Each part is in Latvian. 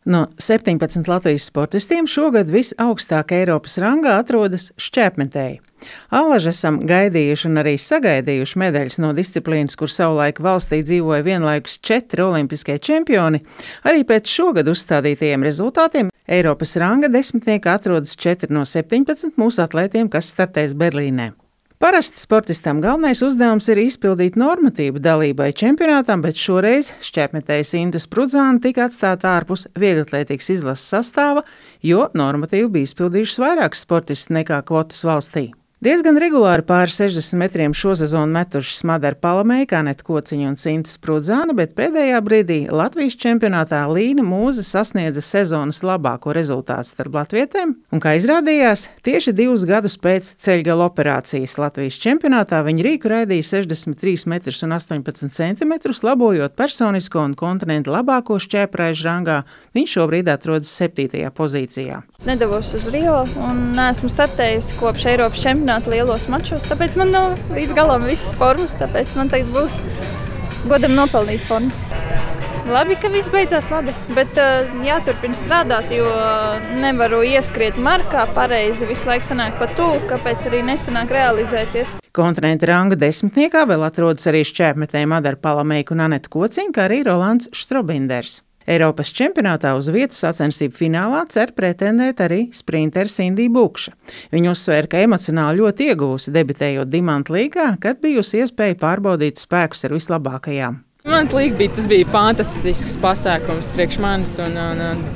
No 17 Latvijas sportistiem šogad visaugstāk Eiropas rangā atrodas šķēpmetēji. Allaž esam gaidījuši un arī sagaidījuši medaļas no disciplīnas, kur savulaik valstī dzīvoja vienlaikus 4 olimpiskie čempioni. Arī pēc šogad uzstādītajiem rezultātiem Eiropas ranga desmitniekā atrodas 4 no 17 mūsu atlētiem, kas startēs Berlīnē. Parasti sportistam galvenais uzdevums ir izpildīt normatīvu dalībai čempionātam, bet šoreiz šķēpmetējas Inta Sprudzāne tika atstāta ārpus vieglatlētikas izlases sastāva, jo normatīvu bija izpildījušas vairākas sportistas nekā kvotas valstī. Diezgan regulāri pāri 60 metriem šo sezonu metušas Madara Palamēja, Aneta Kociņa un Inta Sprudzāne, bet pēdējā brīdī Latvijas čempionātā Līna Mūze sasniedza sezonas labāko rezultātu starp latvietēm, un, kā izrādījās, tieši 2 gadus pēc ceļgala operācijas Latvijas čempionātā viņa rīku raidīja 63 metrus un 18 centimetrus, labojot personisko un kontinenta labāko šķēpraižu rangā. Viņš šobrīd atrodas 7. pozīcijā. Nedavos uz Rio un neesmu startējusi kopš Eiropas čempionāta lielos mačos, tāpēc man nav līdz galam visas formas, tāpēc man tagad būs godam nopelnīt formu. Labi, ka viss beidzās labi, bet jāturpina strādāt, jo nevaru ieskriet markā pareizi, visu laiku sanāk pa tuvu, kāpēc arī nesanāk realizēties. Kontinenta ranga desmitniekā vēl atrodas arī šķēpmetēji Madara Palamēja un Aneta Kociņa, kā arī Rolands Štrobinders. Eiropas čempionātā uz vietu sacensību finālā cer pretendēt arī sprinteris Indija Bukša. Viņa uzsvēra, ka emocionāli ļoti ieguvusi debitējot Dimanta līgā, kad bijusi iespēja pārbaudīt spēkus ar vislabākajām. Tas bija fantastisks pasākums priekš manis un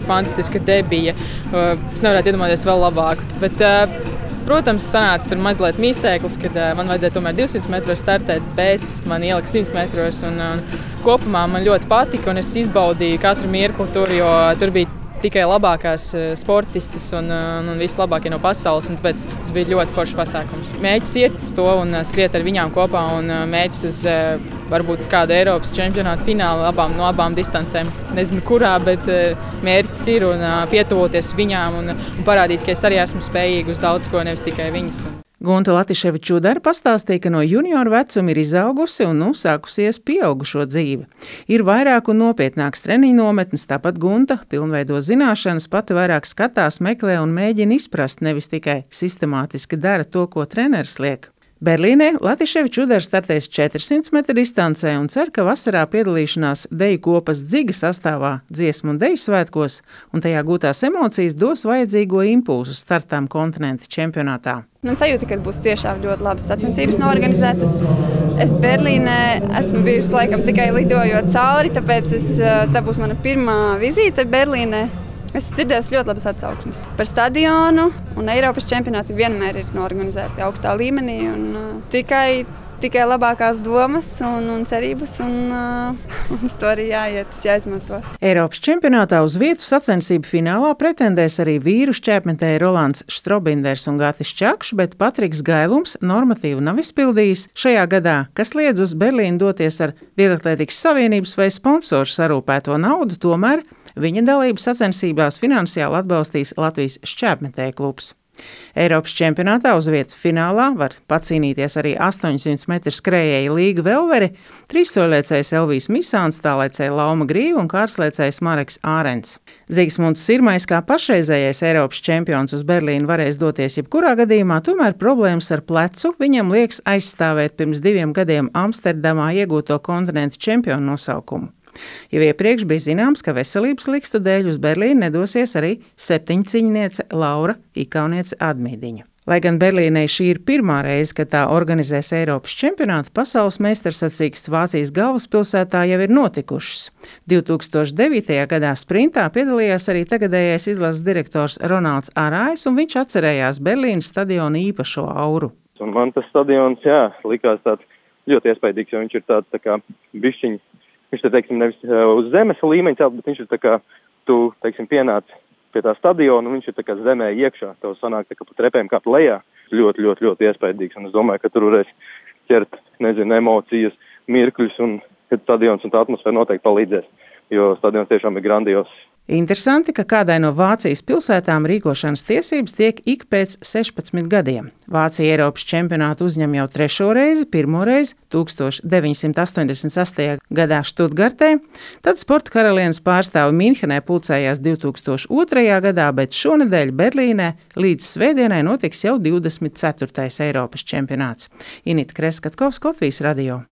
fantastiska debija. Es nevarētu iedomāties vēl labāku, bet, protams, sanāca tur mazliet mīsēklis, kad man vajadzēja tomēr 200 metros startēt, bet man ielika 100 metros un kopumā man ļoti patika un es izbaudīju katru mirkli tur, jo tur bija tikai labākās sportistas un vislabākie no pasaules, un tāpēc tas bija ļoti foršs pasākums. Mēģis iet uz to un skriet ar viņām kopā un mēģis uz varbūt kādu Eiropas čempionātu finālu no abām distancēm. Nezinu kurā, bet mērķis ir un pietuvoties viņām un parādīt, ka es arī esmu spējīga uz daudz ko, nevis tikai viņas. Gunta Latiševičudara pastāstīja, ka no junioru vecuma ir izaugusi un sākusies pieaugušo dzīve. Ir vairāk un nopietnāks treniņu nometnes, tāpat Gunta pilnveido zināšanas, pati vairāk skatās, meklē un mēģina izprast, nevis tikai sistemātiski dara to, ko treneris liek. Berlīnē Latiševičudara startēs 400 metru distancē un cer, ka vasarā piedalīšanās deju kopas Dziga sastāvā dziesmu un deju svētkos un tajā gūtās emocijas dos vajadzīgo impulsu startām kontinenta čempionātā. Man sajūta, ka būs tiešām ļoti labas sacensības norganizētas. Es Berlīnē esmu bijusi laikam tikai lidojot cauri, tāpēc tā būs mana pirmā vizīte Berlīnē. Es dzirdēju ļoti labas atsauksmes par stadionu, un Eiropas čempionāti vienmēr ir norganizēti augstā līmenī. Tikai labākās domas un cerības, un uz to arī jāiet, tas jāizmanto. Eiropas čempionātā uz vietu sacensību finālā pretendēs arī vīru šķēpmetēji Rolands Štrobinders un Gatis Čakšs, bet Patriks Gailums normatīvu nav izpildījis šajā gadā, kas liedz uz Berlīnu doties ar Vieglatlētikas Savienības vai sponsoru sarūpēto naudu, tomēr viņa dalību sacensībās finansiāli atbalstīs Latvijas šķēpmetēju klubs. Eiropas čempionātā uz vietu finālā var pacīnīties arī 800 metru skrējēji Līga Velveri, trīssoļliecējs Elvijs Misāns, tālēcēja Lauma Grīva un kārslēcējs Mareks Ārens. Zigsmunds Sirmais kā pašreizējais Eiropas čempions uz Berlīnu varēs doties jebkurā gadījumā, tomēr problēmas ar plecu viņam liekas aizstāvēt pirms 2 gadiem Amsterdamā iegūto kontinenta čempionu nosaukumu. Jau iepriekš bija zināms, ka veselības likstu dēļ uz Berlīnu nedosies arī 7-ciņniece Laura Ikauniece Admīdiņa. Lai gan Berlīnei šī ir pirmā reize, kad tā organizēs Eiropas čempionātu, pasaules meistarsacīkstes Vācijas galvaspilsētā jau ir notikušas. 2009. gadā sprintā piedalījās arī tagadējais izlases direktors Ronalds Arājs, un viņš atcerējās Berlīnas stadiona īpašo auru. Un man tas stadions, likās tāds ļoti iespaidīgs, jo viņš ir tāds tā kā bišķiņ. Viņš te, nevis uz zemes līmeņa celt, bet viņš ir tā kā, tu, pienāc pie tā stadiona, un viņš ir tā kā zemē iekšā. Tev sanāk tā kā pa trepēm kāp lejā. Ļoti, ļoti, ļoti iespaidīgs, un es domāju, ka tur varēs ķert, emocijas, mirkļus, un kad stadions un tā atmosfēra noteikti palīdzēs, jo stadions tiešām ir grandios. Interesanti, ka kādai no Vācijas pilsētām rīkošanas tiesības tiek ik pēc 16 gadiem. Vācija Eiropas čempionātu uzņem jau 3. reizi, pirmoreiz 1988. gadā Štutgartē, tad sporta karalienes pārstāvi Minhenē pulcējās 2002. gadā, bet šonedēļ Berlīnē līdz svētdienai notiks jau 24. Eiropas čempionāts. Inita Kreskatkovska, Latvijas radio.